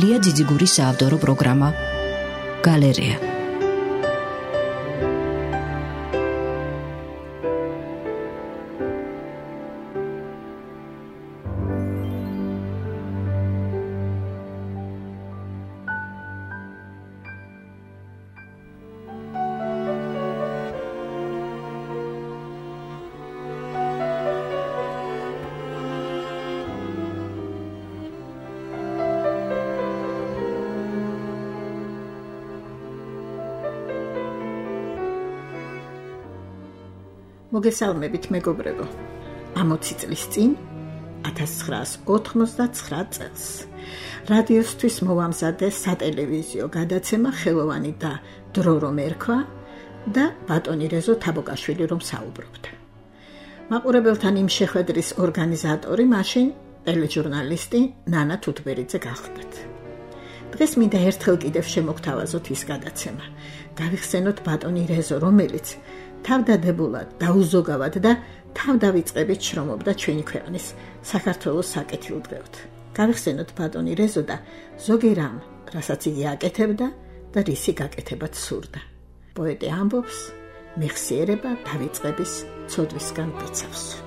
ლია ძიძიგურის საავტორო პროგრამა გალერეა. მოგესალმებით მეგობრებო. 60 წლის წინ 1989 წელს რადიოსთვის მოვამზადე სატელევიზიო გადაცემა ხელოვანი და დრო რომ ერქვა და ბატონი რეზო თაბოკაშვილი რომ საუბრობდა. მაყურებელთან იმ შეხვედრის ორგანიზატორი მაშინ ტელეჟურნალისტი ნანა თუთბერიძე გახლდათ. დღეს მინდა ერთხელ კიდევ შემოგთავაზოთ ის გადაცემა. გავიხსენოთ ბატონი რეზო, რომელიც თავდადებულად, დაუზოგავად და თავდავიწყებით შრომობდა ჩვენი ქვეყნის საქართველოს საკეთილდღეოდ. გავიხსენოთ ბატონი რეზო და ზოგი რამ, რასაც იგი აკეთებდა და რისი გაკეთებაც სურდა. პოეტი ამბობს, მეხსიერება დავიწყების ცოდვისგან დიცავს.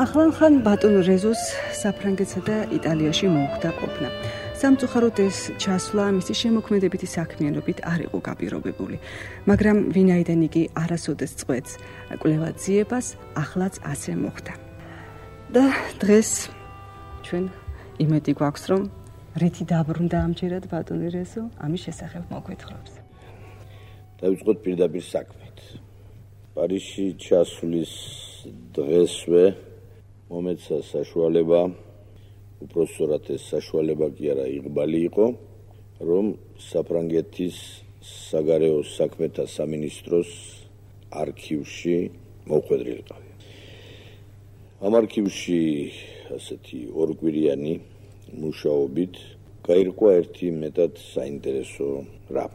ახლახან ბატონ რეზოს საფრანგეთსა და იტალიაში მოუხდა ყოფნა. სამწუხაროდ ეს ჩასვლა მისი შემოქმედებითი საქმიანობით არ იყო გაპირობებული, მაგრამ ვინაიდან იგი არასოდეს წყვეტს კვლევად ძიებას, ახლაც ასე მოხდა. და დღეს ჩვენ იმედი გვაქვს, რომ რითი დაბრუნდა ამჯერად ბატონი რეზო, ამის შესახებ მოგვითხრობს. დავიწყოთ პირდაპირ საქმით. პარიზში ჩასვლის დღესვე მომეცა საშუალება, უпроსწორად ეს საშუალება კი არა იღბალი იყო, რომ საფრანგეთის საგარეო საქმეთა სამინისტროს არქივში მოვხვედრილიყავი. ამ არქივში ასეთი ორკვირიანი მუშაობით გაირკვა ერთი მეტად საინტერესო რამ.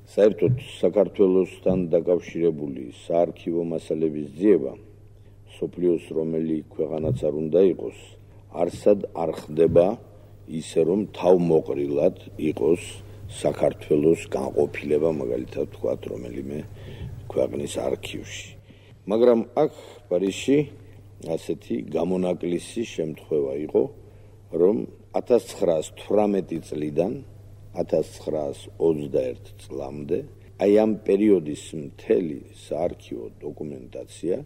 საერთოდ საქართველოსთან დაკავშირებული საარქივო მასალების ძიება სოფლიოს რომელი ქვეყანაც არ უნდა იყოს, არსად არ ხდება ისე რომ თავმოყრილად იყოს საქართველოს განყოფილება, მაგალითად ვთქვათ, რომელიმე ქვეყნის არქივში. მაგრამ აქ პარიზში ასეთი გამონაკლისი შემთხვევა იყო, რომ 1918 წლიდან 1921 წლამდე აი ამ პერიოდის მთელი საარქივო დოკუმენტაცია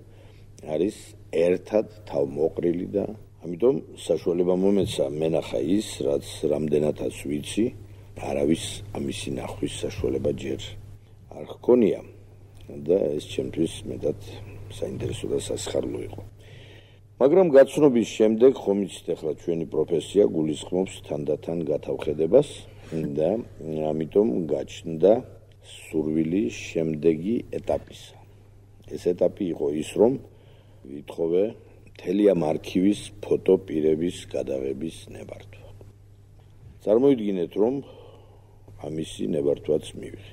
არის ერთად თავმოყრილი და ამიტომ საშუალება მომეცა მენახა ის, რაც რამდენადაც ვიცი, არავის ამისი ნახვის საშუალება ჯერ არ ჰქონია და ეს ჩემთვის მეტად საინტერესო და სასიხარულო იყო. მაგრამ გაცნობის შემდეგ ხომ იცით, ახლა ჩვენი პროფესია გულისხმობს თანდათან გათავხედებას და ამიტომ გაჩნდა სურვილი შემდეგი ეტაპისა. ეს ეტაპი იყო ის, რომ ვითხოვე მთელი ამ არქივის ფოტოპირების გადაღების ნებართვა. წარმოიდგინეთ, რომ ამისი ნებართვაც მივიღე.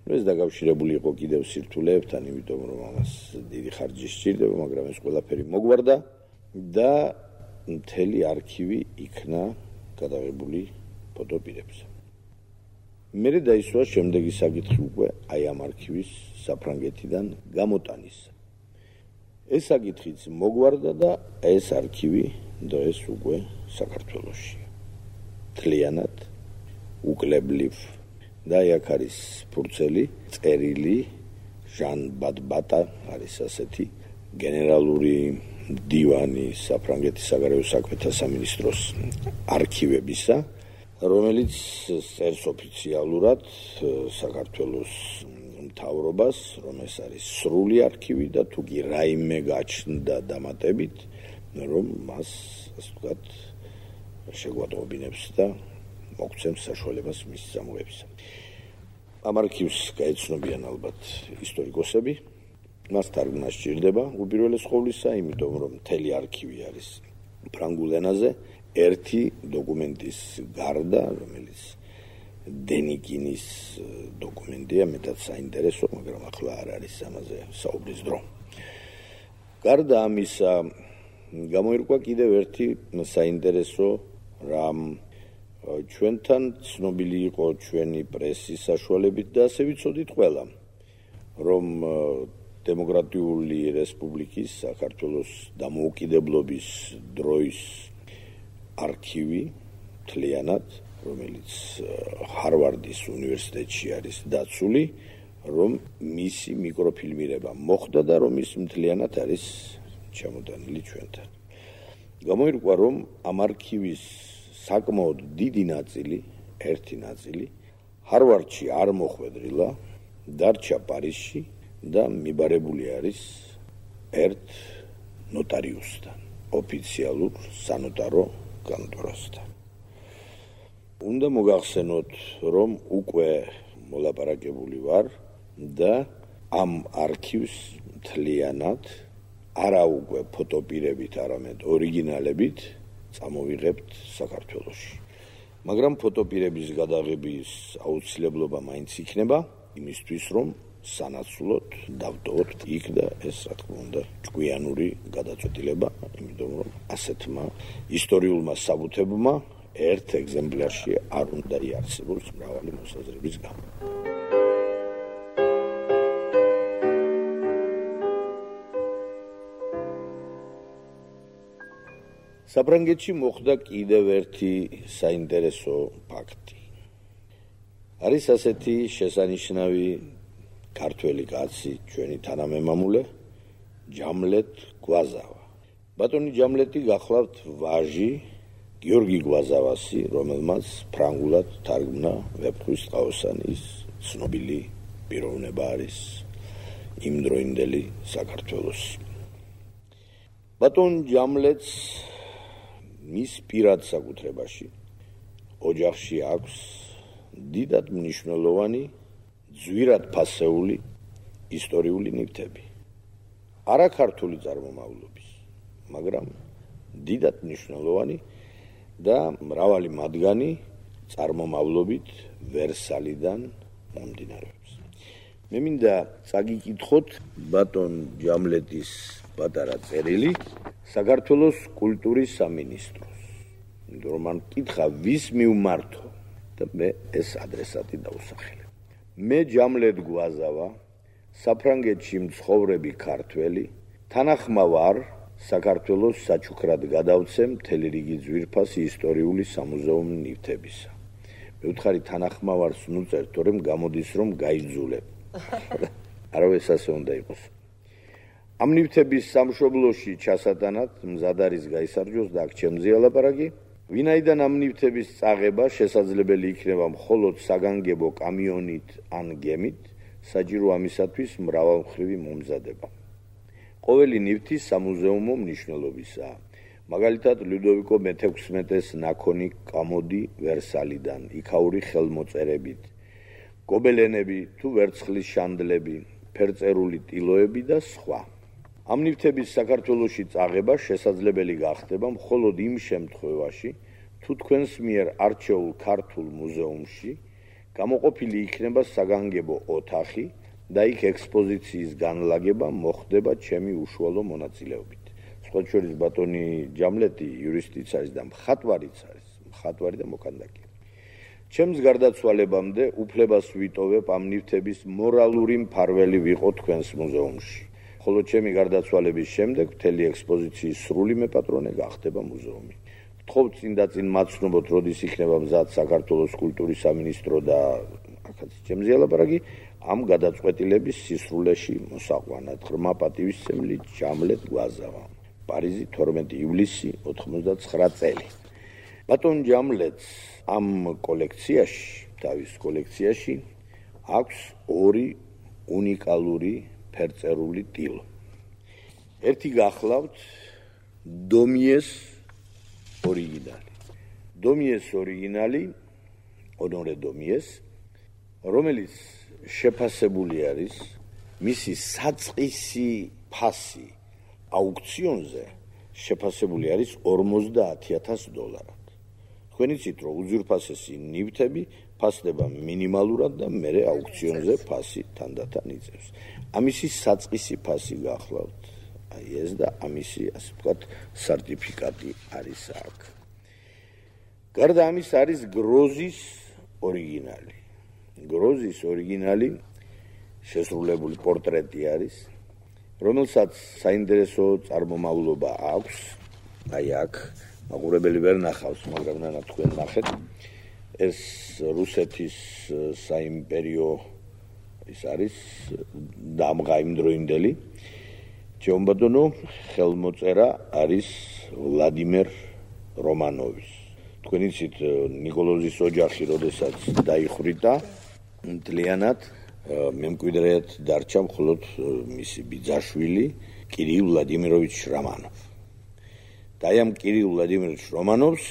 ეს დაკავშირებული იყო კიდევ სირთულეებთან, იმიტომ რომ ამას დიდი ხარჯი სჭირდება, მაგრამ ეს ყველაფერი მოგვარდა და მთელი არქივი იქნა გადაღებული ფოტოპირებზე. მერე დაისვა შემდეგი საკითხი უკვე აი ამ არქივის საფრანგეთიდან გამოტანის. ეს საკითხიც მოგვარდა და ეს არქივი დღეს უკვე საქართველოში. მთლიანად უკლებლივ და აქ არის ფურცელი, წერილი, ჟან ბატბატა არის ასეთი გენერალური დივანი საფრანგეთის საგარეო საქმეთა სამინისტროს არქივებისა, რომელიც წერს ოფიციალურად საქართველოს მთავრობას, რომ ეს არის სრული არქივი და თუ კი რაიმე გაჩნდა დამატებით, რომ მას, ასე ვთქვათ, შეგვატყობინებს და მოგცემს საშუალებას მის წამოღებისა. ამ არქივს გაეცნობიან ალბათ ისტორიკოსები, მას თარგმნა სჭირდება უპირველეს ყოვლისა, იმიტომ რომ მთელი არქივი არის ფრანგულ ენაზე, ერთი დოკუმენტის გარდა, რომელიც დენიკინის დოკუმენტია, მეტად საინტერესო, მაგრამ ახლა არ არის ამაზე საუბრის დრო. გარდა ამისა, გამოირკვა კიდევ ერთი საინტერესო რამ ჩვენთან ცნობილი იყო ჩვენი პრესის საშუალებით და ასე ვიცოდით ყველა, რომ დემოკრატიული რესპუბლიკის საქართველოს დამოუკიდებლობის დროის არქივი მთლიანად, რომელიც ჰარვარდის უნივერსიტეტში არის დაცული, რომ მისი მიკროფილმირება მოხდა და რომ ის მთლიანად არის ჩამოტანილი ჩვენთან. გამოირკვა, რომ ამ არქივის საკმაოდ დიდი ნაწილი, ერთი ნაწილი ჰარვარდში არ მოხვედრილა, დარჩა პარიზში და მიბარებული არის ერთ ნოტარიუსთან, ოფიციალურ სანოტარო კანტორასთან. უნდა მოგახსენოთ, რომ უკვე მოლაპარაკებული ვარ და ამ არქივს მთლიანად არა უკვე ფოტოპირებით, არამედ ორიგინალებით წამოვიღებთ საქართველოში. მაგრამ ფოტოპირების გადაღების აუცილებლობა მაინც იქნება, იმისთვის რომ სანაცვლოდ დავტოვოთ იქ და ეს რა თქმა უნდა ჭკვიანური გადაწყვეტილება, იმიტომ რომ ასეთმა ისტორიულმა საბუთებმა ერთ ეგზემპლარში არ უნდა იარსებოს მრავალი მოსაზრების გამო. საფრანგეთში მოხდა კიდევ ერთი საინტერესო ფაქტი. არის ასეთი შესანიშნავი ქართველი კაცი, ჩვენი თანამემამულე, ჯამლეთ გვაზავა. ბატონი ჯამლეთი გახლავთ ვაჟი გიორგი გვაზავასი, რომელმაც ფრანგულად თარგმნა ვეფხვის ტყაოსანის ცნობილი პიროვნება არის იმდროინდელი საქართველოს. ბატონ ჯამლეთს მის პირად საკუთრებაში ოჯახში აქვს დიდად მნიშვნელოვანი, ძვირად ფასეული ისტორიული ნივთები. არა ქართული წარმომავლობის, მაგრამ დიდად მნიშვნელოვანი და მრავალი მათგანი წარმომავლობით ვერსალიდან მომდინარეობს. მე მინდა წაგიკითხოთ ბატონ ჯამლეთის პატარა წერილი საქართველოს კულტურის სამინისტროს. იმიტომ რომ მან კითხა ვის მიუმართო და მე ეს ადრესატი დავუსახელებ. მე ჯამლეთ გვაზავა, საფრანგეთში მცხოვრები ქართველი, თანახმა ვარ საქართველოს საჩუქრად გადავცემ მთელი რიგი ძვირფასი ისტორიული სამუზეუმო ნივთებისა. მე ვთხარი თანახმა ვარს ნუწერთ, თორემ გამოდის რომ გაიძულებ. არავის ასე უნდა იყოს. ამ ნივთების სამშობლოში ჩასატანად მზად არის გაისარჯოს და აქ ჩემზეა ლაპარაკი. ვინაიდან ამ ნივთების წაღება შესაძლებელი იქნება მხოლოდ საგანგებო კამიონით ან გემით, საჭირო ამისათვის მრავალმხრივი მომზადება. ყოველი ნივთი სამუზეუმო მნიშვნელობისაა. მაგალითად, ლუდოვიკო მე-16-ის ნაქონი კამოდი ვერსალიდან, იქაური ხელმოწერებით, გობელენები თუ ვერცხლის შანდლები, ფერწერული ტილოები და სხვა. ამ ნივთების საქართველოში წაღება შესაძლებელი გახდება მხოლოდ იმ შემთხვევაში, თუ თქვენს მიერ არჩეულ ქართულ მუზეუმში გამოყოფილი იქნება საგანგებო ოთახი და იქ ექსპოზიციის განლაგება მოხდება ჩემი უშუალო მონაწილეობით. სხვა შორის ბატონი ჯამლეთი იურისტიც არის და მხატვარიც არის, მხატვარი და მოქანდაკე. ჩემს გარდაცვალებამდე უფლებას ვიტოვებ ამ ნივთების მორალური მფარველი ვიყო თქვენს მუზეუმში. ხოლო ჩემი გარდაცვალების შემდეგ მთელი ექსპოზიციის სრული მეპატრონე გახდება მუზეუმი. გთხოვთ წინ და წინ მაცნობოთ, როდის იქნება მზად საქართველოს კულტურის სამინისტრო და აქაც ჩემზეა ლაპარაკი, ამ გადაწყვეტილების სისრულეში მოსაყვანად. ღრმა პატივისცემლი ჯამლეთ გვაზავა. პარიზი 12 ივლისი 99 წელი. ბატონ ჯამლეთს ამ კოლექციაში, თავის კოლექციაში აქვს ორი უნიკალური ფერწერული ტილო. ერთი გახლავთ დომიეს ორიგინალი. დომიეს ორიგინალი, ონორე დომიეს, რომელიც შეფასებული არის მისი საწყისი ფასი აუქციონზე შეფასებული არის $50,000. თქვენ იცით, რომ უძვირფასესი ნივთები ფასდება მინიმალურად და მერე აუქციონზე ფასი თანდათან იწევს. ამისი საწყისი ფასი გახლავთ. აი ეს და ამისი, ასე ვთქვათ, სერტიფიკატი არის აქ. გარდა ამის არის გროზის ორიგინალი. გროზის ორიგინალი შესრულებული პორტრეტი არის, რომელსაც საინტერესო წარმომავლობა აქვს. აი აქ მაყურებელი ვერ ნახავს, მაგრამ ნანა თქვენ ნახეთ. ეს რუსეთის საიმპერიო ის არის დამღა იმდროინდელი. ჩემბატონო ხელმოწერა არის ვლადიმერ რომანოვის. თქვენ იცით, ნიკოლოზის ოჯახი, როდესაც დაიხვრიტა, მთლიანად მემკვიდრედ დარჩა მხოლოდ მისი ბიძაშვილი კირილ ვლადიმიროვიჩ რომანოვი. და ამ კირილ ვლადიმიროვიჩ რომანოვს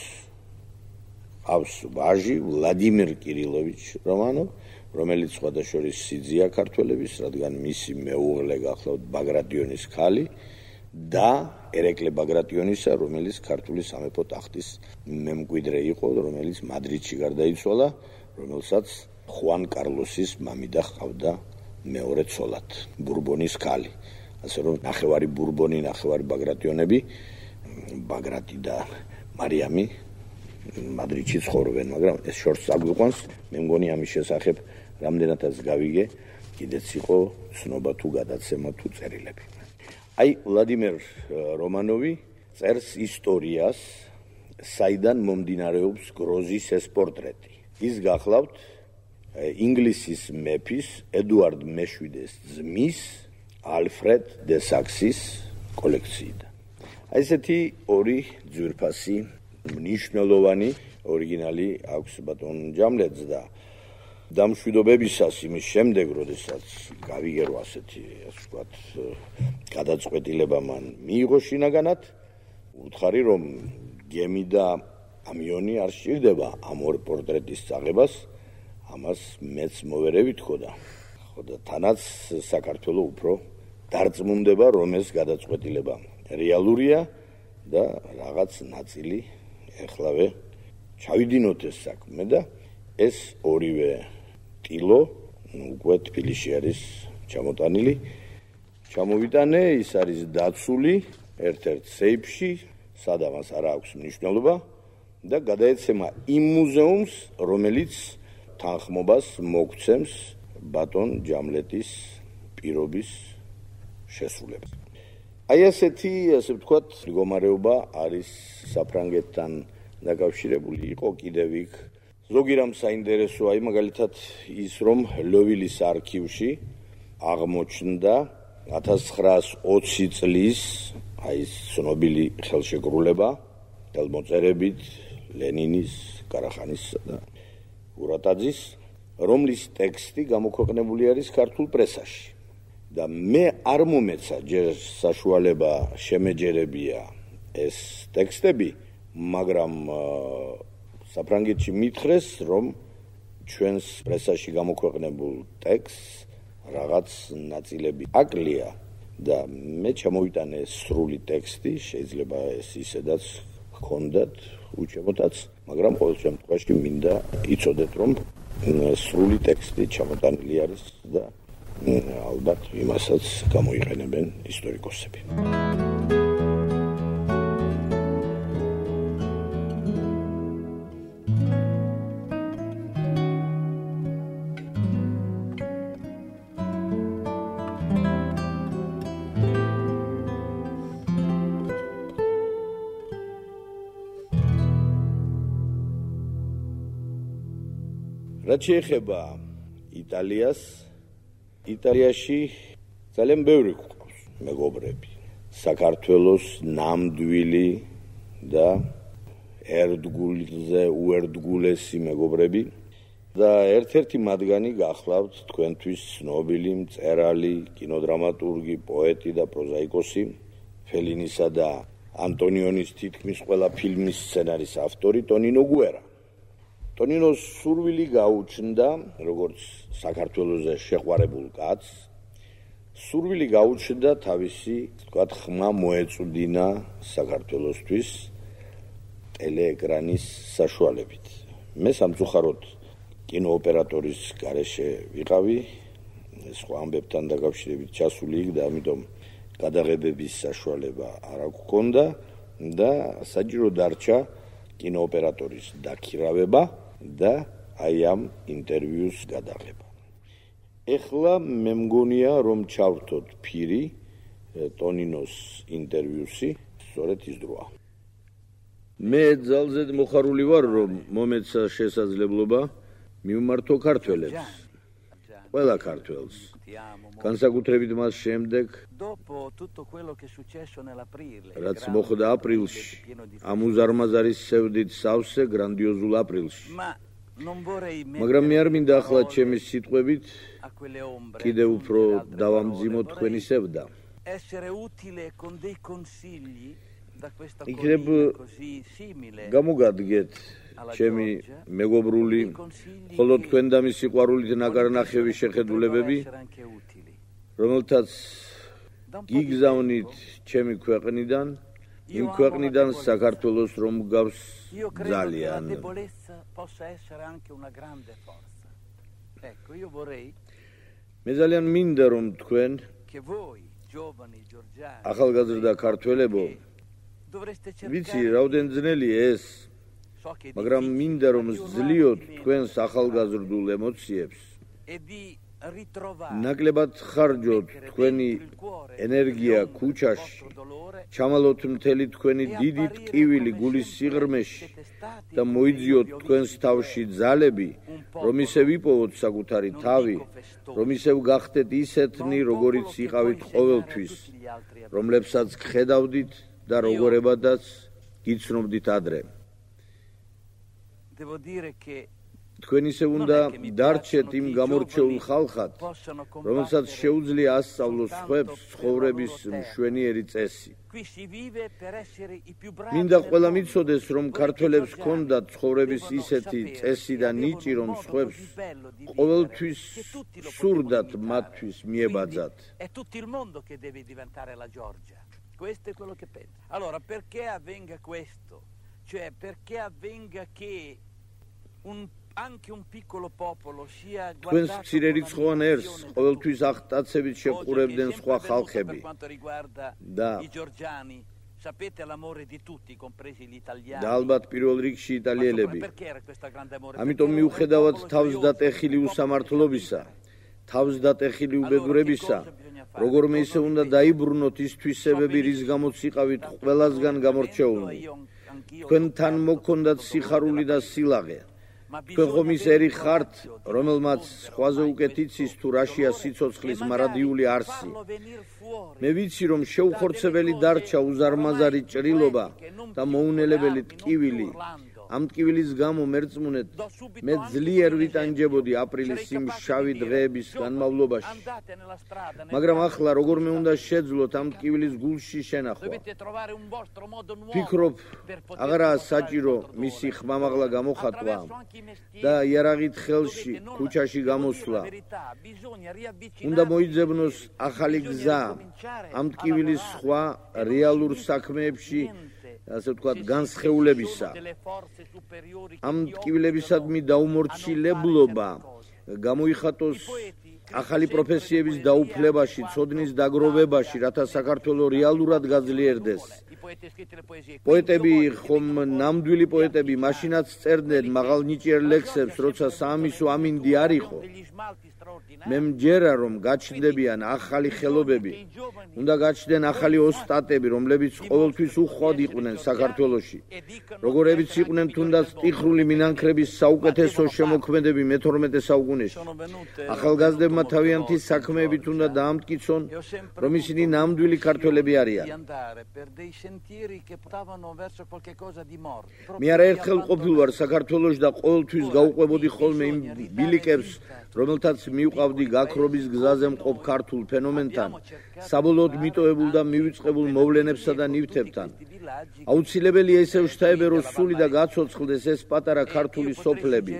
ჰყავს ვაჟი ვლადიმერ კირილოვიჩ რომანოვი, რომელიც სხვადასხვა სიძია ქართველების, რადგან მისი მეუღლე გახლავთ ბაგრატიონის ქალი და ერეკლე ბაგრატიონისა, რომელიც ქართული სამეფო ტახტის მემკვიდრე იყო, რომელიც მადრიდში გარდაიცვალა, რომელსაც ხუან კარლოსის მამიდა ჰყავდა მეორე ცოლად, ბურბონის ქალი. ასე რომ ნახევარი ბურბონი, ნახევარი ბაგრატიონები, ბაგრატი და მარიამი მადრიდში ცხოვრობენ, მაგრამ ეს შორს აგვიყვანს. მე მგონი ამის შესახებ რამდენადაც გავიგე, კიდეც იყო ცნობა თუ გადაცემა თუ წერილები. აი ვლადიმერ რომანოვი წერს ისტორიას, საიდან მომდინარეობს გროზის ეს პორტრეტი. ის გახლავთ ინგლისის მეფის ედუარდ მე-7-ის ძმის ალფრედ დე საქსის კოლექციიდან. აი ესეთი ორი ძვირფასი მნიშვნელოვანი ორიგინალი აქვს ბატონ ჯამლეთს და დამშვიდობებისას იმის შემდეგ, როდესაც გავიგე რომ ასეთი, ასე ვთქვათ, გადაწყვეტილება მან მიიღო შინაგანად, უთხარი რომ გემი და ამიონი არ სჭირდება ამ ორ პორტრეტის წაღებას, ამას მეც მოვერევით ხო და თანაც საქართველო უფრო დარწმუნდება, რომ ეს გადაწყვეტილება რეალურია და რაღაც ნაწილი ეხლავე ჩავიდინოთ ეს საქმე და ეს ორივე ტილო უკვე თბილისში არის ჩამოტანილი. ჩამოვიტანე, ის არის დაცული ერთ-ერთ სეიფში, სადამას არ აქვს მნიშვნელობა და გადაეცემა იმ მუზეუმს, რომელიც თანხმობას მოგცემს ბატონ ჯამლეთის პირობის შესრულებას. აი ასეთი, ასე ვთქვათ, მდგომარეობა არის საფრანგეთთან დაკავშირებული. იყო კიდევ იქ ზოგი რამ საინტერესო, აი მაგალითად ის რომ ლოვილის არქივში აღმოჩნდა 1920 წლის აი ცნობილი ხელშეკრულება ხელმოწერებით ლენინის, კარახანისა და ურატაძის, რომლის ტექსტი გამოქვეყნებული არის ქართულ პრესაში. და მე არ მომეცა ჯერ საშუალება შემეჯერებია ეს ტექსტები, მაგრამ საფრანგეთში მითხრეს, რომ ჩვენს პრესაში გამოქვეყნებულ ტექსტს რაღაც ნაწილები აკლია და მე ჩამოვიტანე სრული ტექსტი, შეიძლება ეს ისედაც გქონდათ უჩემოდაც, მაგრამ ყოველ შემთხვევაში მინდა იცოდეთ, რომ სრული ტექსტი ჩამოტანილი არის და ალბათ იმასაც გამოიყენებენ ისტორიკოსები. რაც შეეხება იტალიას, იტალიაში ძალიან ბევრი გვყავს მეგობრები. საქართველოს ნამდვილი და ერთგულზე უერთგულესი მეგობრები და ერთ-ერთი მათგანი გახლავთ თქვენთვის ცნობილი მწერალი, კინოდრამატურგი, პოეტი და პროზაიკოსი, ფელინისა და ანტონიონის თითქმის ყველა ფილმის სცენარის ავტორი ტონინო გუერა. ტონინოს სურვილი გაუჩნდა, როგორც საქართველოზე შეყვარებულ კაცს, სურვილი გაუჩნდა თავისი, ვთქვათ, ხმა მოეწუდინა საქართველოსთვის ტელეეკრანის საშუალებით. მე სამწუხაროდ კინოოპერატორის გარეშე ვიყავი, სხვა ამბებთან დაკავშირებით ჩასული იქ და ამიტომ გადაღებების საშუალება არ აქვს და საჭირო დარჩა კინოოპერატორის დაქირავება და აი ამ ინტერვიუს გადაღება. ეხლა მე მგონია რომ ჩავრთოთ ფირი ტონინოს ინტერვიუსი, სწორედ ის დროა. მე ძალზე მოხარული ვარ რომ მომეცა შესაძლებლობა მივმართო ქართველებს. ყველა ქართველს. განსაკუთრებით მას შემდეგ, რაც მოხდა აპრილში, ამ უზარმაზარის სევდით სავსე გრანდიოზულ აპრილში. მაგრამ მე არ მინდა ახლა ჩემი სიტყვებით კიდევ უფრო დავამძიმოთ თქვენი სევდა. იქნებ გამოგადგეთ ჩემი მეგობრული, ხოლო თქვენ და მის სიყვარულით ნაკარნახევი შეხედულებები, რომელთაც გიგზავნით ჩემი ქვეყნიდან, იმ ქვეყნიდან საქართველოს რომ გავს ძალიან. მე ძალიან მინდა რომ თქვენ ახალგაზრდა ქართველებო, ვიცი რაოდენ ძნელია ეს, მაგრამ მინდა რომ ზძლიოთ თქვენს ახალგაზრდულ ემოციებს, ნაკლებად ხარჯოთ თქვენი ენერგია ქუჩაში, ჩამალოთ მთელი თქვენი დიდი ტკივილი გულის სიღრმეში და მოიძიოთ თქვენს თავში ძალები, რომ ისევ იპოვოთ საკუთარი თავი, რომ ისევ გახდეთ ისეთნი, როგორიც იყავით ყოველთვის, რომლებსაც გხედავდით და როგორებადაც გიცნობდით ადრე. თქვენ ისევ უნდა დარჩეთ იმ გამორჩეულ ხალხად, რომელსაც შეუძლია ასწავლოს სხვებს ცხოვრების მშვენიერი წესი. მინდა ყველა მიცოდეს, რომ ქართველებს ჰქონდათ ცხოვრების ისეთი წესი და ნიჭი, რომ სხვებს ყოველთვის სურდათ მათთვის მიებაძათ. Questo è quello che penso. Allora, perché avvenga questo? Cioè, perché avvenga che anche un piccolo popolo sia guardato con ყოველთვის აღტაცებით შეყურებდნენ სხვა ხალხები. და i georgiani, sapete l'amore di tutti, compresi gli italiani. და ალბათ პირველ რიგში იტალიელები. ამიტომ მიუხედავად თავსდატეხილი უსამართლობისა, თავსდატეხილი უბედურებისა, როგორმე ისე უნდა დაიბრუნოთ ის თვისებები, რის გამოც იყავით ყველასგან გამორჩეულნი. თქვენთან მოქონდათ სიხარული და სილაღე. თქვენ ხომ ის ერი ხართ, რომელმაც სხვაზე უკეთ იცის თუ რაშია სიცოცხლის მარადიული არსი. მე ვიცი, რომ შეუხორცებელი დარჩა უზარმაზარი ჭრილობა და მოუნელებელი ტკივილი. ამ ტკივილის გამო მერწმუნეთ, მე ძლიერ ვიტანჯებოდი აპრილის იმ შავი დღეების განმავლობაში. მაგრამ ახლა როგორმე უნდა შეძლოთ ამ ტკივილის გულში შენახვა. ფიქრობ, აღარაა საჭირო მისი ხმამაღლა გამოხატვა და იარაღით ხელში ქუჩაში გამოსვლა. უნდა მოიძებნოს ახალი გზა ამ ტკივილის სხვა რეალურ საქმეებში, ასე ვთქვათ, განსხეულებისა. ამ ტკივილებისადმი დაუმორჩილებლობა გამოიხატოს ახალი პროფესიების დაუფლებაში, ცოდნის დაგროვებაში, რათა საქართველო რეალურად გაძლიერდეს. პოეტები, ხომ ნამდვილი პოეტები მაშინაც წერდნენ მაღალნიჭიერ ლექსებს, როცა საამისო ამინდი არ იყო. მე მჯერა, რომ გაჩნდებიან ახალი ხელობები, უნდა გაჩნდნენ ახალი ოსტატები, რომლებიც ყოველთვის უხვად იყვნენ საქართველოში, როგორებიც იყვნენ თუნდაც ტიხრული მინანქრების საუკეთესო შემოქმედები მე-12 საუკუნეში. ახალგაზრდებმა თავიანთი საქმეებით უნდა დაამტკიცონ, რომ ისინი ნამდვილი ქართველები არიან. მე არაერთხელ ყოფილ ვარ საქართველოში და ყოველთვის გაუყვებოდი ხოლმე იმ ბილიკებს, რომელთაც მივყავდი გაქრობის გზაზე მყოფ ქართულ ფენომენთან, საბოლოოდ მიტოვებულ და მივიწყებულ მოვლენებსა და ნივთებთან. აუცილებელია ისევ შთაებერო სული და გაცოცხლდეს ეს პატარა ქართული სოფლები.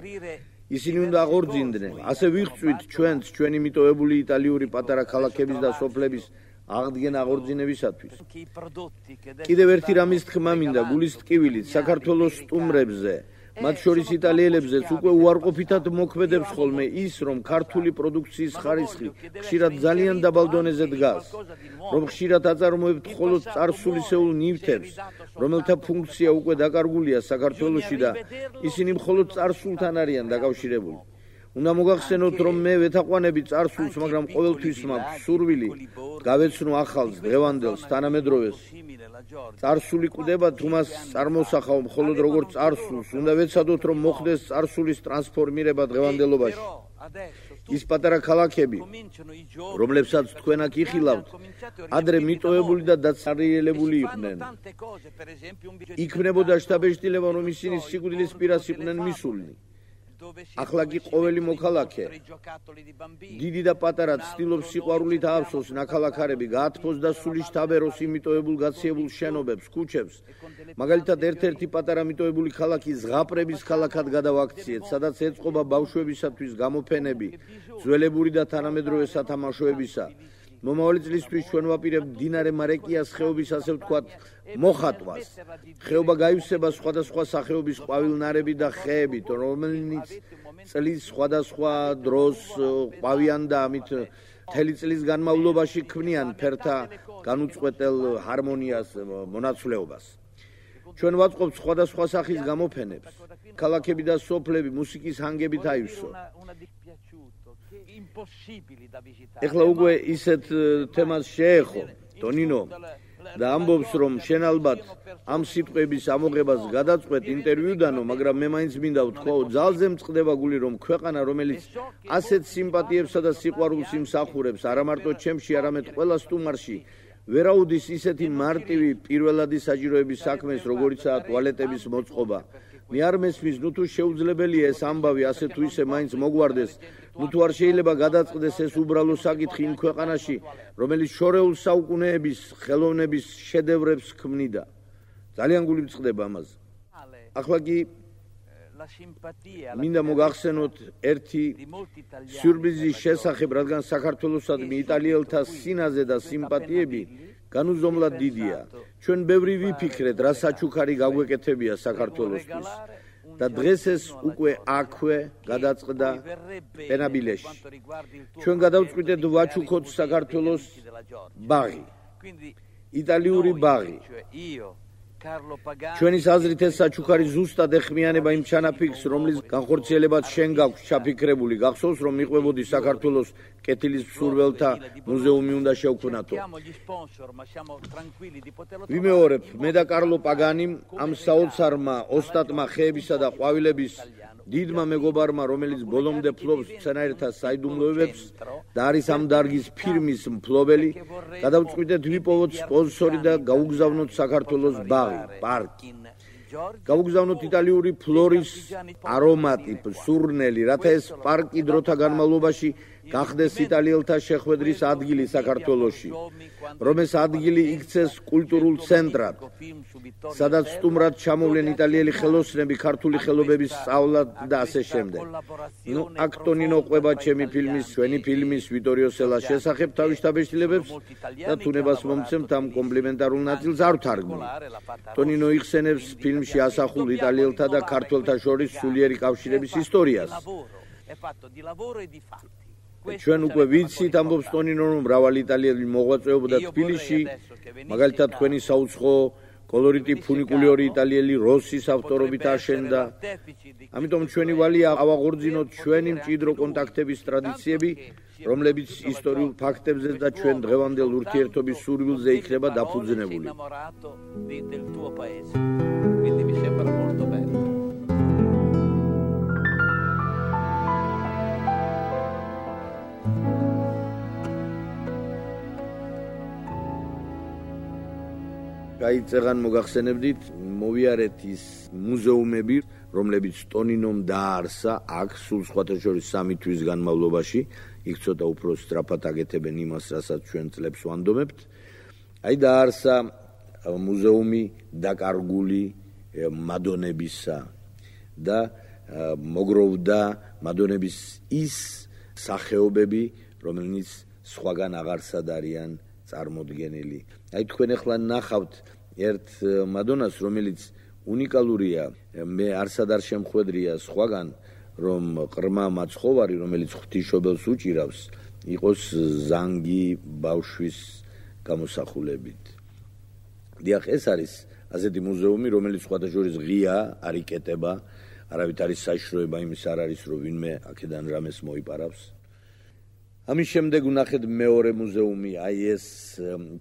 ისინი უნდა აღორძინდნენ, ასე ვიღწვით ჩვენც, ჩვენი მიტოვებული იტალიური პატარა ქალაქების და სოფლების აღდგენა აღორძინებისათვის. კიდევ ერთი რამის თქმა მინდა გულის ტკივილით საქართველოს სტუმრებზე, მათ შორის იტალიელებზეც უკვე უარყოფითად მოქმედებს ხოლმე ის, რომ ქართული პროდუქციის ხარისხი ხშირად ძალიან დაბალ დონეზე დგას, რომ ხშირად აწარმოებთ მხოლოდ წარსულისეულ ნივთებს, რომელთა ფუნქცია უკვე დაკარგულია საქართველოში და ისინი მხოლოდ წარსულთან არიან დაკავშირებული. უნდა მოგახსენოთ, რომ მე ვეთაყვანები წარსულს, მაგრამ ყოველთვის მაქვს სურვილი გავეცნო ახალს, დღევანდელს, თანამედროვეს. წარსული კვდება თუ მას წარმოსახავ მხოლოდ როგორც წარსულს, უნდა ვეცადოთ, რომ მოხდეს წარსულის ტრანსფორმირება დღევანდელობაში. ის პატარა ქალაქები, რომლებსაც თქვენ აქ იხილავთ, ადრე მიტოვებული და დაცარიელებული იყვნენ. იქმნებოდა შტაბ-ეჭდილება, რომ ისინი სიკვდილის პირას იყვნენ მისულნი. ახლა კი ყოველი მოქალაქე, დიდი და პატარა, ცდილობს სიყვარულით აავსოს ნაქალაქარები, გაათფოს და სული შთაბეროს იმიტოვებულ გაციებულ შენობებს, ქუჩებს. მაგალითად, ერთ-ერთი პატარა მიტოვებული ქალაქი ზღაპრების ქალაქად გადავაქციეთ, სადაც ეწყობა ბავშვებისათვის გამოფენები, ძველებური და თანამედროვე სათამაშოებისა. მომავალი წლისთვის ჩვენ ვაპირებთ მდინარე მარეკიას ხეობის, ასე ვთქვათ, მოხატვას. ხეობა გაივსება სხვადასხვა სახეობის ყვავილნარები და ხეებით, რომელიც წლის სხვადასხვა დროს ყვავიან და ამით მთელი წლის განმავლობაში ქმნიან ფერთა განუწყვეტელ ჰარმონიას, მონაცვლეობას. ჩვენ ვაწყობთ სხვადასხვა სახის გამოფენებს. ქალაქები და სოფლები მუსიკის ჰანგებით აივსო. ეხლა უკვე ისეთ თემას შეეხო ტონინო და ამბობს, რომ შენ ალბათ ამ სიტყვების ამოღებას გადაწყვეტ ინტერვიუდანო, მაგრამ მე მაინც მინდა ვთქვაო, ძალზე მწყდება გული, რომ ქვეყანა, რომელიც ასეთ სიმპათიებსა და სიყვარულს იმსახურებს, არა მარტო ჩემში, არამედ ყველა სტუმარში, ვერაუდის ისეთი მარტივი პირველადი საჭიროების საქმეს, როგორიცაა ტუალეტების მოწყობა. მე არ მესმის, ნუ თუ შეუძლებელია ეს ამბავი ასე თუ ისე მაინც მოგვარდეს, ნუ თუ არ შეიძლება გადაწყდეს ეს უბრალო საკითხი იმ ქვეყანაში, რომელიც შორეულ საუკუნეების ხელოვნების შედევრებს ქმნიდა. ძალიან გული მწყდება ამაზე. ახლა კი მინდა მოგახსენოთ ერთი სიურპრიზის შესახებ, რადგან საქართველოსადმი იტალიელთა სინაზე და სიმპათიები განუზომლად დიდია. ჩვენ ბევრი ვიფიქრეთ, რა საჩუქარი გაგვეკეთებია საქართველოსთვის და დღეს ეს უკვე აქვე გადაწყდა პენაბილეში. ჩვენ გადავწყვიტეთ ვაჩუქოთ საქართველოს ბაღი, იტალიური ბაღი. ჩვენის აზრით ეს საჩუქარი ზუსტად ეხმიანება იმ ჩანაფიქრს, რომლის განხორციელებაც შენ გაქვს ჩაფიქრებული. გახსოვს, რომ მიყვებოდი საქართველოს კეთილის მსურველთა მუზეუმი უნდა შევქმნათო. ვიმეორებ, მე და კარლო პაგანიმ ამ საოცარმა ოსტატმა ხეებისა და ყვავილების დიდმა მეგობარმა, რომელიც ბოლომდე ფლობს მცენარეთა საიდუმლოებებს და არის ამ დარგის ფირმის მფლობელი, გადავწყვიტეთ ვიპოვოთ სპონსორი და გავუგზავნოთ საქართველოს ბაღი, პარკი. გავუგზავნოთ იტალიური ფლორის არომატი, სურნელი, რათა ეს პარკი დროთა განმავლობაში გახდეს იტალიელთა შეხვედრის ადგილი საქართველოში, რომ ეს ადგილი იქცეს კულტურულ ცენტრად, სადაც სტუმრად ჩამოვლენ იტალიელი ხელოსნები, ქართული ხელობების სწავლად და ასე შემდეგ. ნუ აქ ტონინო ყვება ჩემი ფილმის, ჩვენი ფილმის ვიტორიო სელას შესახებ თავის შტაბ-ეჭდილებებს და თუნებას მომცემთ ამ კომპლიმენტარულ ნაწილს არ ვთარგმნი. ტონინო იხსენებს ფილმში ასახულ იტალიელთა და ქართველთა შორის სულიერი კავშირების ისტორიას. ჩვენ უკვე ვიცით, ამბობს ტონინო, რომ მრავალი იტალიელი მოღვაწეობდა თბილისში, მაგალითად თქვენი საუცხო კოლორიტი ფუნიკულიორი იტალიელი როსის ავტორობით აშენდა. ამიტომ ჩვენი ვალია ავაღორძინოთ ჩვენი მჭიდრო კონტაქტების ტრადიციები, რომლებიც ისტორიულ ფაქტებზე და ჩვენ დღევანდელ ურთიერთობის სურვილზე იქნება დაფუძნებული. გაიწეგან მოგახსენებდით, მოვიარეთ ის მუზეუმები, რომლებიც ტონინომ დააარსა აქ სულ სხვათა შორის 3 თვის განმავლობაში, იქ ცოტა უფრო სწრაფად აკეთებენ იმას, რასაც ჩვენ წლებს ვანდომებთ. აი დააარსა მუზეუმი დაკარგული მადონებისა და მოგროვდა მადონების ის სახეობები, რომელიც სხვაგან აღარსად არიან წარმოდგენილი. აი თქვენ ახლა ნახავთ ერთ მადონას, რომელიც უნიკალურია, მე არსად არ შემხვედრია სხვაგან, რომ ყრმა მაცხოვარი, რომელიც ღვთისმშობელს უჭირავს, იყოს ზანგი ბავშვის გამოსახულებით. დიახ, ეს არის ასეთი მუზეუმი, რომელიც სხვათა შორის ღია, არ იკეტება, არავით არის საშიშროება იმის არ არის, რომ ვინმე აქედან რამეს მოიპარავს. ამის შემდეგ ვნახეთ მეორე მუზეუმი, აი ეს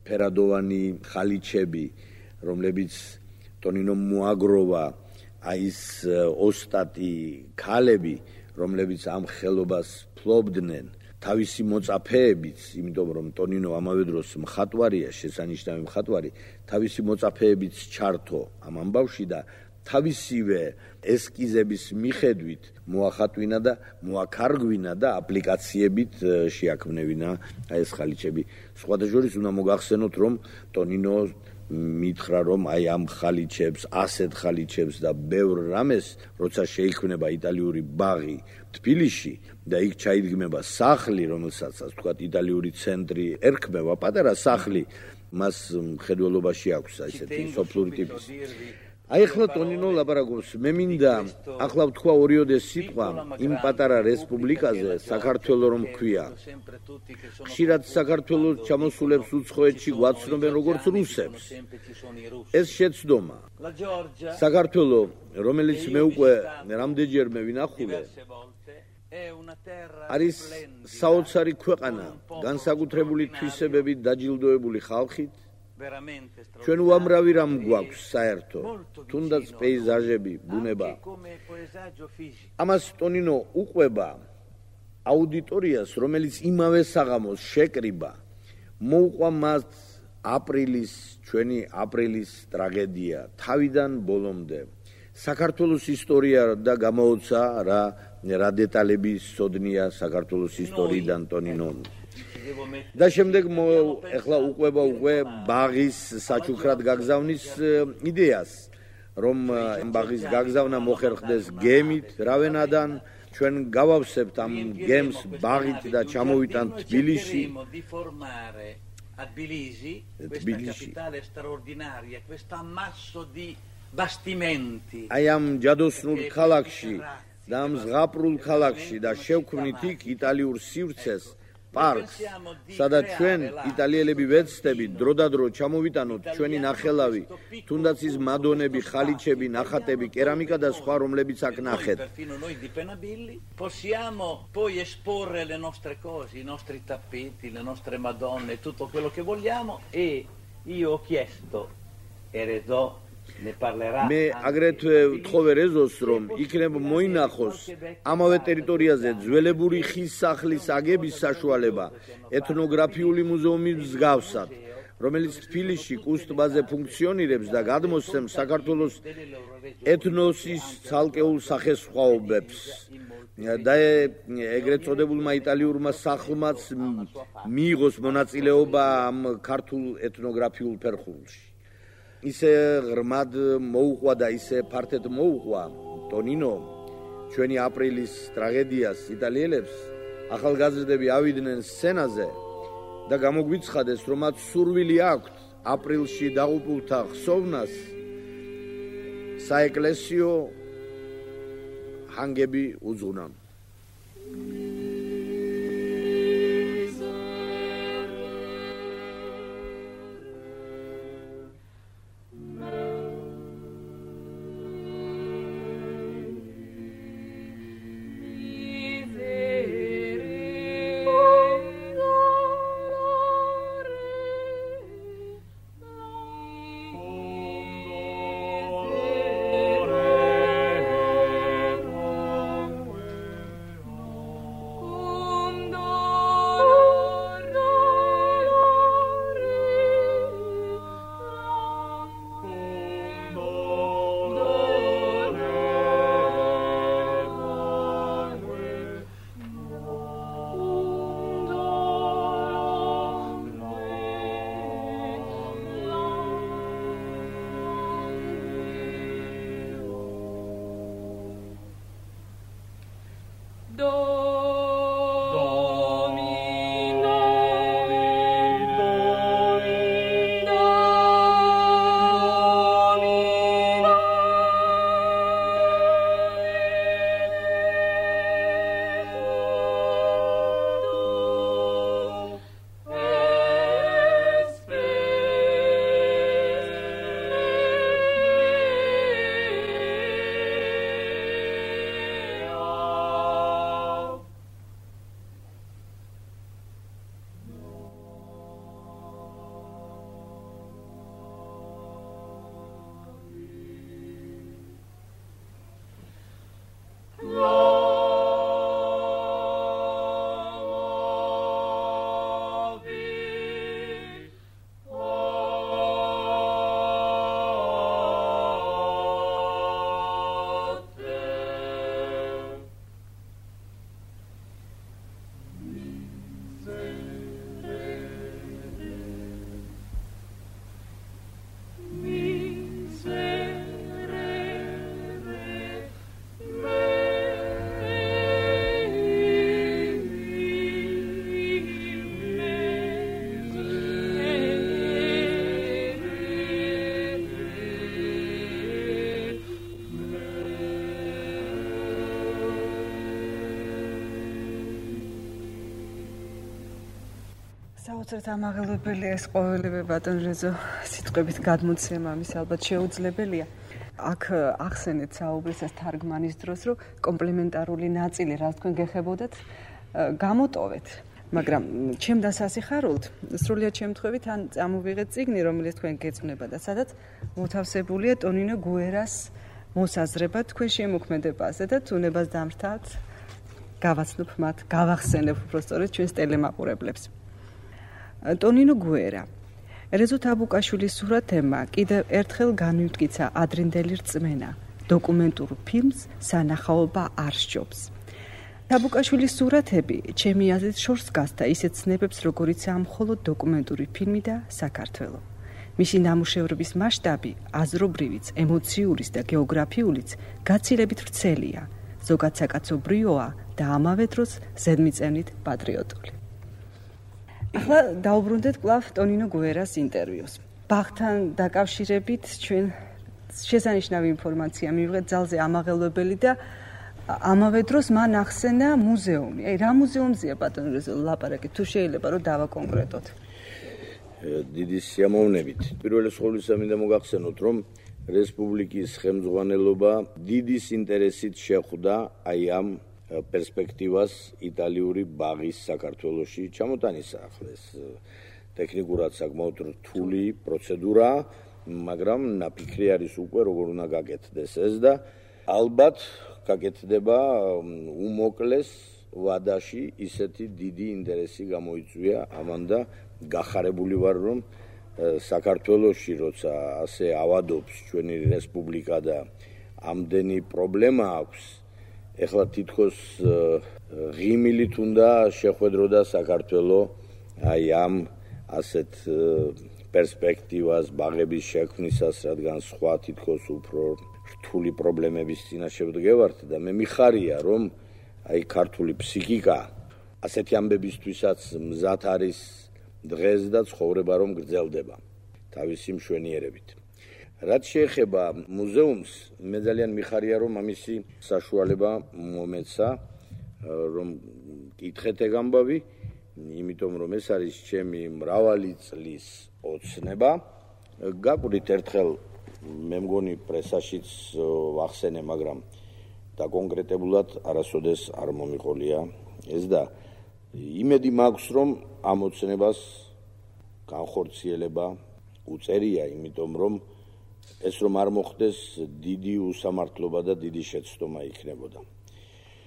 ფერადოვანი ხალიჩები, რომლებიც ტონინო მოაგროვა, აი ეს ოსტატი ქალები, რომლებიც ამ ხელობას ფლობდნენ, თავისი მოწაფეებით, იმიტომ რომ ტონინო ამავე დროს მხატვარია, შესანიშნავი მხატვარი, თავისი მოწაფეებით ჩართო ამ ამბავში და თავისივე ესკიზების მიხედვით მოახატვინა და მოაქარგვინა და აპლიკაციებით შეაქმნევინა აი ეს ხალიჩები. სხვათა შორის უნდა მოგახსენოთ, რომ ტონინო მითხრა, რომ აი ამ ხალიჩებს, ასეთ ხალიჩებს და ბევრ რამეს, როცა შეიქმნება იტალიური ბაღი თბილისში და იქ ჩაიდგმება სახლი, რომელსაც თქვათ იტალიური ცენტრი ერქმევა, პატარა სახლი, მას მხედველობაში აქვს ესეთი სოფლური ტიპის. აი ახლა ტონინო ლაპარაკობს, მე მინდა ახლა ვთქვა ორიოდე სიტყვა იმ პატარა რესპუბლიკაზე, საქართველო რომ ქვია. ხშირად საქართველოს ჩამოსულებს უცხოეთში გვაცნობენ როგორც რუსებს. ეს შეცდომა. საქართველო, რომელიც მე უკვე რამდენჯერმე ვინახულე, არის საოცარი ქვეყანა, განსაკუთრებული თვისებებით დაჯილდოებული ხალხით. ჩვენ უამრავი რამ გვაქვს საერთო, თუნდაც პეიზაჟები, ბუნება. ამას ტონინო უყვება აუდიტორიას, რომელიც იმავე საღამოს შეკრიბა, მოუყვა მას ჩვენი აპრილის ტრაგედია, თავიდან ბოლომდე. საქართველოს ისტორია და გამოუცა რა დეტალები სოდნია საქართველოს ისტორიიდან ტონინო. და შემდეგ ახლა უყვება ბაღის საჩუქრად გაგზავნის იდეას, რომ ბაღის გაგზავნა მოხერხდეს გემით რავენადან, ჩვენ გავავსებთ ამ გემს ბაღით და ჩამოვიტანთ თბილისში. A Tbilisi, questa capitale straordinaria, questo ammasso di bastimenti. Ai am ჯადოსნულ ქალაქში და ამ ზღაპრულ ქალაქში და შევქმნით იქ იტალიურ სივრცეს, პარკს, სადაც ჩვენ იტალიელები ვეცდებით დროდადრო ჩამოვიტანოთ ჩვენი ნახელავი, თუნდაც ის მადონები, ხალიჩები, ნახატები, კერამიკა და სხვა, რომლებიც აქ ნახეთ. Possiamo poi esporre le nostre cose, i nostri tappeti, le nostre madonne, tutto quello che vogliamo e io ho chiesto Erezò მე აგრეთვე ვთხოვე რეზოს, რომ იქნება მოინახოს ამავე ტერიტორიაზე ძველებური ხის სახლის აგების საშუალება ეთნოგრაფიული მუზეუმის მსგავსად, რომელიც თბილისში კუს ტბაზე ფუნქციონირებს და გადმოსცემს საქართველოს ეთნოსის ცალკეულ სახესხვაობებს. და ეგრეთ წოდებულმა იტალიურმა სახლმაც მიიღოს მონაწილეობა ამ ქართულ ეთნოგრაფიულ ფერხულში. ისე ღრმად მოუყვა და ისე ფართედ მოუყვა ტონინო ჩვენი აპრილის ტრაგედიას იტალიელებს, ახალგაზრდები ავიდნენ სცენაზე და გამოგვიცხადეს, რომ მათ სურვილი აქვთ აპრილში დაღუპულთა ხსოვნას საეკლესიო ჰანგები უძღვნან. საოცრად ამაღლებელია ეს ყოველივე ბატონ რეზო სიტყვებით გადმოცემა ამის ალბათ შეუძლებელია. აქ ახსენეთ საუბრისას თარგმანის დროს, რომ კომპლემენტარული ნაწილი, რაც თქვენ გეხებოდათ, გამოტოვეთ. მაგრამ ჩემ დასასიხარულთ, სრულიად შემთხვევით ან წამოვიღეთ წიგნი, რომელიც თქვენ გეწვნება და სადაც მოთავსებულია ტონინო გუერას მოსაზრება თქვენ შემოქმედებაზე და თუნებას დამრთავთ, გავაცნობ მათ, გავახსენებ უბრალოდ ჩვენს ტელემაყურებლებს. ტონინო გუერა რეზო თაბუკაშვილის სურათებმა კიდევ ერთხელ განვიმტკიცა ადრინდელი რწმენა დოკუმენტურ ფილმს სანახაობა არ სჯობს. თაბუკაშვილის სურათები ჩემი აზრით შორს გასდა ისეთ ცნებებს, როგორიცაა მხოლოდ დოკუმენტური ფილმი და საქართველო. მისი ნამუშევრების მასშტაბი აზრობრივიც, ემოციურიც და გეოგრაფიულიც გაცილებით ვრცელია, ზოგად საკაცობრიოა და ამავე დროს ზედმიწევნით პატრიოტული. ახლა დაუბრუნდეთ კვლავ ტონინო გუერას ინტერვიუს. ბაღთან დაკავშირებით ჩვენ შესანიშნავი ინფორმაცია მივიღეთ ძალზე ამაღელვებელი და ამავე დროს მან ახსენა მუზეუმი. რა მუზეუმზეა ბატონო რეზო ლაპარაკი, თუ შეიძლება რომ დავაკონკრეტოთ. დიდი სიამოვნებით. პირველი ყოვლისა მინდა მოგახსენოთ, რომ რესპუბლიკის ხელმძღვანელობა დიდის ინტერესით შეხვდა აი ამ პერსპექტივას იტალიური ბაღის საქართველოში ჩამოტანისა. ახლა ეს ტექნიკურად საკმაოდ რთული პროცედურა, მაგრამ ნაფიქრი არის უკვე როგორ უნდა გაკეთდეს ეს და ალბათ გაკეთდება უმოკლეს ვადაში ისეთი დიდი ინტერესი გამოიწვია ამან და გახარებული ვარ რომ საქართველოში როცა ასე ავადობს ჩვენი რესპუბლიკა და ამდენი პრობლემა აქვს ეხლა თითქოს ღიმილით უნდა შეხვედროდა საქართველო აი ამ ასეთ პერსპექტივას ბაღების შექმნისას, რადგან სხვა თითქოს უფრო რთული პრობლემების წინაშე ვდგევართ და მე მიხარია რომ აი ქართული ფსიქიკა ასეთი ამბებისთვისაც მზად არის დღეს და ცხოვრება რომ გრძელდება თავისი მშვენიერებით. რაც შეეხება მუზეუმს, მე ძალიან მიხარია რომ ამისი საშუალება მომეცა რომ კითხეთ ეგ ამბავი, იმიტომ რომ ეს არის ჩემი მრავალი წლის ოცნება. გაკვირით ერთხელ მე მგონი პრესაშიც ვახსენე, მაგრამ დაკონკრეტებულად არასოდეს არ მომიყოლია ეს და იმედი მაქვს რომ ამ ოცნებას განხორციელება უწერია, იმიტომ რომ ეს რომ არ მოხდეს დიდი უსამართლობა და დიდი შეცდომა იქნებოდა.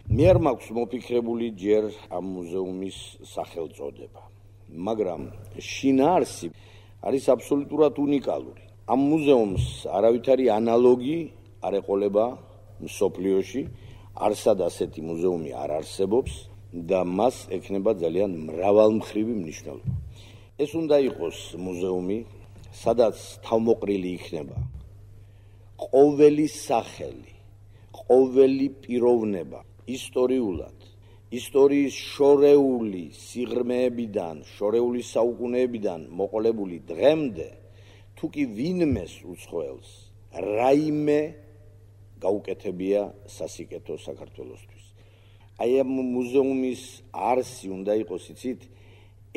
მე არ მაქვს მოფიქრებული ჯერ ამ მუზეუმის სახელწოდება, მაგრამ შინაარსი არის აბსოლუტურად უნიკალური. ამ მუზეუმს არავითარი ანალოგი არ ეყოლება მსოფლიოში, არსად ასეთი მუზეუმი არ არსებობს და მას ექნება ძალიან მრავალმხრივი მნიშვნელობა. ეს უნდა იყოს მუზეუმი, სადაც თავმოყრილი იქნება ყოველი სახელი, ყოველი პიროვნება ისტორიულად, ისტორიის შორეული სიღრმეებიდან, შორეული საუკუნეებიდან მოყოლებული დღემდე, თუ კი ვინმეს უცხოელს რაიმე გაუკეთებია სასიკეთო საქართველოსთვის. აი ამ მუზეუმის არსი უნდა იყოს, იცით,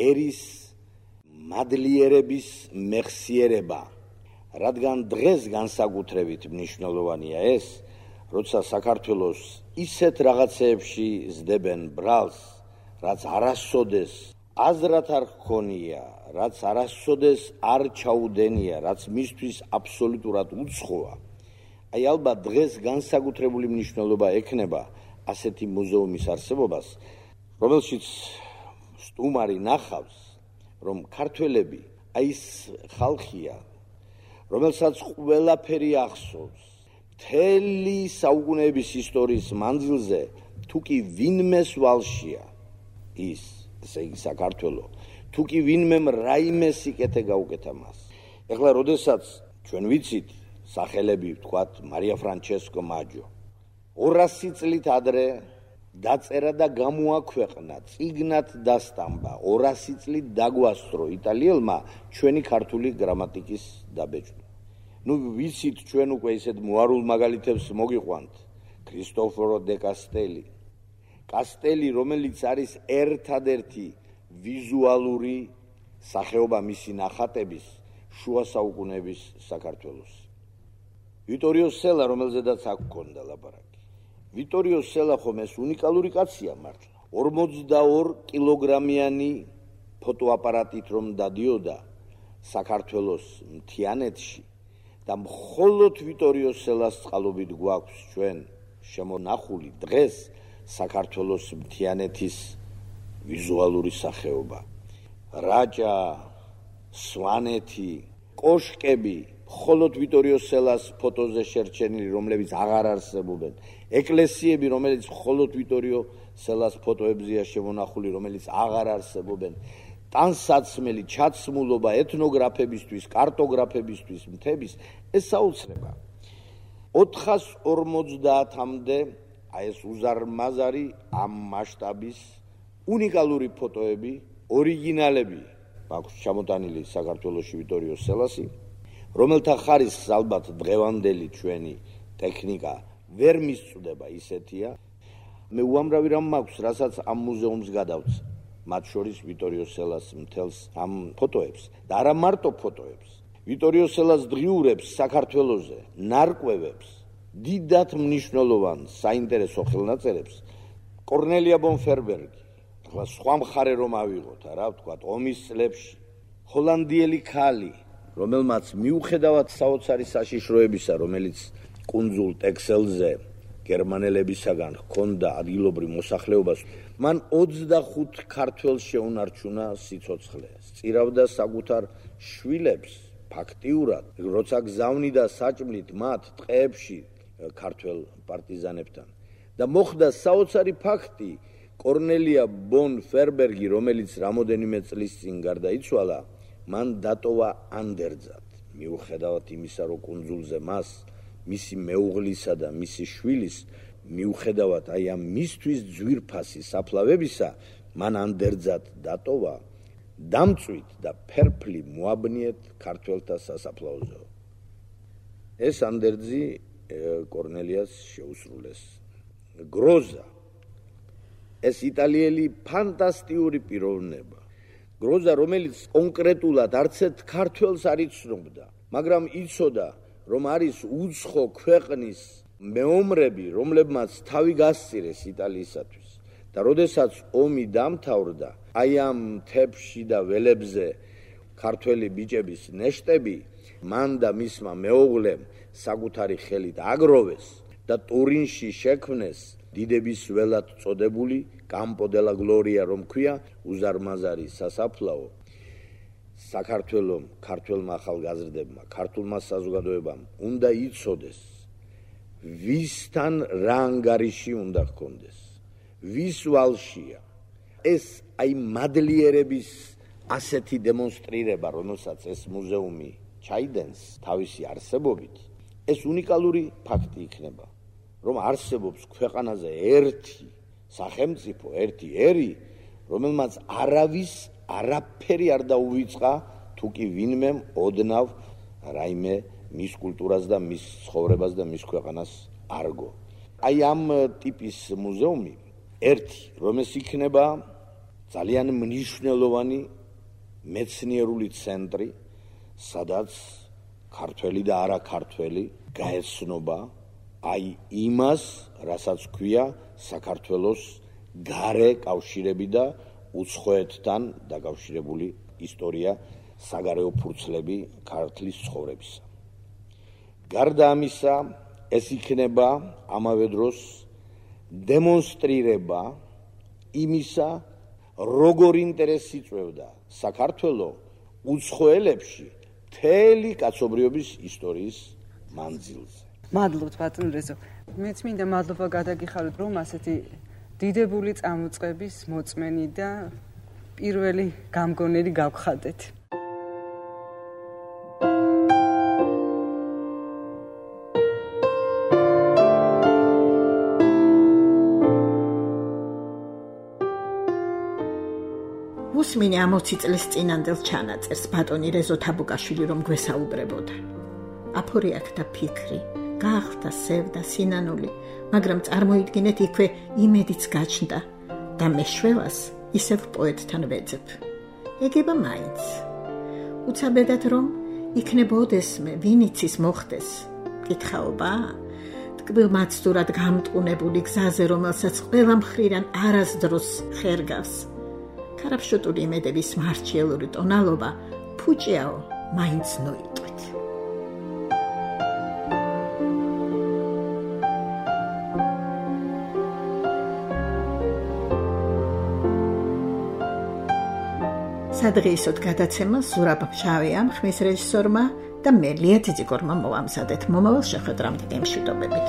ერის მადლიერების მეხსიერება, რადგან დღეს განსაკუთრებით მნიშვნელოვანია ეს, როცა საქართველოს ისეთ რაღაცეებში ზდებენ ბრალს, რაც არასოდეს აზრად არ ჰქონია, რაც არასოდეს არ ჩაუდენია, რაც მისთვის აბსოლუტურად უცხოა. აი ალბათ დღეს განსაკუთრებული მნიშვნელობა ექნება ასეთი მუზეუმის არსებობას, რომელშიც სტუმარი ნახავს, რომ ქართველები აი ეს ხალხია, რომელსაც ყველაფერი ახსოვს, მთელი საუკუნეების ისტორიის მანძილზე, თუ კი ვინმეს ვალშია ის, ესე იგი საქართველო, თუ კი ვინმემ რაიმე სიკეთე გაუკეთა მას. ეხლა როდესაც ჩვენ ვიცით სახელები, ვთქვათ, მარია ფრანჩესკო მაჯო 200 წლით ადრე დაწერა და გამოაქვეყნა, წიგნად დასტამბა, 200 წლით დაგვასწრო იტალიელმა ჩვენი ქართული გრამატიკის დაბეჭდვა. ნუ ვიცით ჩვენ უკვე ისეთ მოარულ მაგალითებს მოგიყვანთ. ქრისტოფორო დე კასტელი, რომელიც არის ერთადერთი ვიზუალური სახეობა მისი ნახატების შუა საუკუნეების საქართველოს. ვიტორიო სელა, რომელზედაც აქ გქონდა ლაპარაკი. ვიტორიო სელა ხომ ეს უნიკალური კაცია მართლა. 42 კილოგრამიანი ფოტოაპარატით რომ დადიოდა საქართველოს მთიანეთში და მხოლოდ ვიტორიო სელას წყალობით გვაქვს ჩვენ შემონახული დღეს საქართველოს მთიანეთის ვიზუალური სახეობა. რაჭა, სვანეთი, კოშკები მხოლოდ ვიტორიო სელას ფოტოზე შერჩენილი, რომლებიც აღარ არსებობენ. ეკლესიები, რომელიც მხოლოდ ვიტორიო სელას ფოტოებზეა შემონახული, რომელიც აღარ არსებობენ. ტანსაცმელი ჩაცმულობა ეთნოგრაფებისთვის, კარტოგრაფებისთვის, მთების ეს საოცრება. 450-მდე აი ეს უზარმაზარი ამ მასშტაბის უნიკალური ფოტოები, ორიგინალები აქვს ჩამოტანილი საქართველოში ვიტორიო სელასი, რომელთა ხარისხს ალბათ დღევანდელი ჩვენი ტექნიკა ვერ მისწვდება ისეთია. მე უამრავი რამ მაქვს, რასაც ამ მუზეუმს გადავწ, მათ შორის ვიტორიო სელას მთელს ამ ფოტოებს და არა მარტო ფოტოებს. ვიტორიო სელას დღიურებს საქართველოზე, ნარკვევებს, დიდად მნიშვნელოვან საინტერესო ხელნაწერებს კორნელია ბონფერბერგი, ახლა სხვა მხარე რომ ავიღოთ, რა ვთქვათ, ომის წლებში ჰოლანდიელი ქალი, რომელმაც მიუხედავად საოცარი საშიშროებისა, რომელიც კუნძულ ტექსელზე გერმანელებისაგან ჰქონდა ადგილობრივ მოსახლეობას, მან 25 ქართველს შეუნარჩუნა სიცოცხლე. სწირავდა საკუთარ შვილებს ფაქტიურად, როცა გზავნიდა საჭმლით მათ ტყეებში ქართველ პარტიზანებთან. და მოხდა საოცარი ფაქტი, კორნელია ბონფერბერგი, რომელიც რამოდენიმე წლის წინ გარდაიცვალა, მან დატოვა ანდერძად, მიუხედავად იმისა, რომ კუნძულზე მას, მისი მეუღლისა და მისი შვილის, მიუხედავად აი ამ მისთვის ძვირფასი საფლავებისა, მან ანდერძად დატოვა, დამწვით და ფერფლი მოაბნიეთ ქართველთა სასაფლაოზე. ეს ანდერძი კორნელიას შეუსრულეს. გროზა, ეს იტალიელი ფანტასტიკური პიროვნება. გროზა, რომელიც კონკრეტულად არცერთ ქართველს არ იცნობდა, მაგრამ იცოდა, რომ არის უცხო ქვეყნის მეომრები, რომლებმაც თავი გასწირეს იტალიისათვის. და როდესაც ომი დამთავრდა, აი ამ მთებში და ველებზე ქართველი ბიჭების ნეშტები მან და მისმა მეუღლემ საკუთარი ხელით აგროვეს და ტურინში შექმნეს დიდების ველად წოდებული კამპო დე ლა გლორია, რომ ქვია, უზარმაზარი სასაფლაო. საქართველოს ქართველმა ახალგაზრდებმა, ქართულმა საზოგადოებამ უნდა იცოდეს, ვისთან რა ანგარიში უნდა ჰქონდეს, ვის ვალშია. ეს აი მადლიერების ასეთი დემონსტრირება, რომელსაც ეს მუზეუმი ჩაიდენს თავისი არსებობით, ეს უნიკალური ფაქტი იქნება, რომ არსებობს ქვეყანაზე ერთი სახელმწიფო, ერთი ერი, რომელმაც არავის არაფერი არ დაუვიწყა, თუ კი ვინმემ ოდნავ რაიმე მის კულტურას და მის ცხოვრებას და მის ქვეყანას არგო. აი ამ ტიპის მუზეუმი ერთი, რომ ეს იქნება ძალიან მნიშვნელოვანი მეცნიერული ცენტრი, სადაც ქართველი და არა ქართველი გაეცნობა აი იმას, რასაც ქვია საქართველოს გარე კავშირები და უცხოეთთან დაკავშირებული ისტორია, საგარეო ფურცლები ქართლის ცხოვრებისა. გარდა ამისა, ეს იქნება ამავე დროს დემონსტრირება იმისა, როგორ ინტერესი იწვევდა საქართველოს უცხოელებში მთელი კაცობრიობის ისტორიის მანძილზე. მადლობთ ბატონ რეზო. მეც მინდა მადლობა გადაგიხაროთ, რომ ასეთი დიდებული წამოწყების მოწმენი და პირველი გამგონელი გავხადეთ. უსმინე 60 წლის წინანდელ ჩანაწერს ბატონი რეზო თაბუკაშვილი რომ გვესაუბრებოდა. აფორი აქდა ფიქრი, გაახდა სევდა სინანული, მაგრამ წარმოიდგინეთ იქვე იმედიც გაჩნდა და მე შვევას ისევ პოეტთან ვეძებ. ეგება მაინც. უცაბედად რომ იქნებოდესმე ვინიცის მოხდეს, კითხაობა, ტკბილმაცდურად გამტყუნებული გზაზე, რომელსაც ყველა მხრიდან არასდროს ხერგავს. ქარაფშოტური იმედების მარჩიელური ტონალობა ფუჭიაო მაინც ნოიტყვით. სადღეისოდ გადაცემას ზურაბ ფშავიამ, ხმის რეჟისორმა და მე ლია ძიძიგორმა მოვამზადეთ. მომავალ შეხვედრამდე გემშვიდობებით.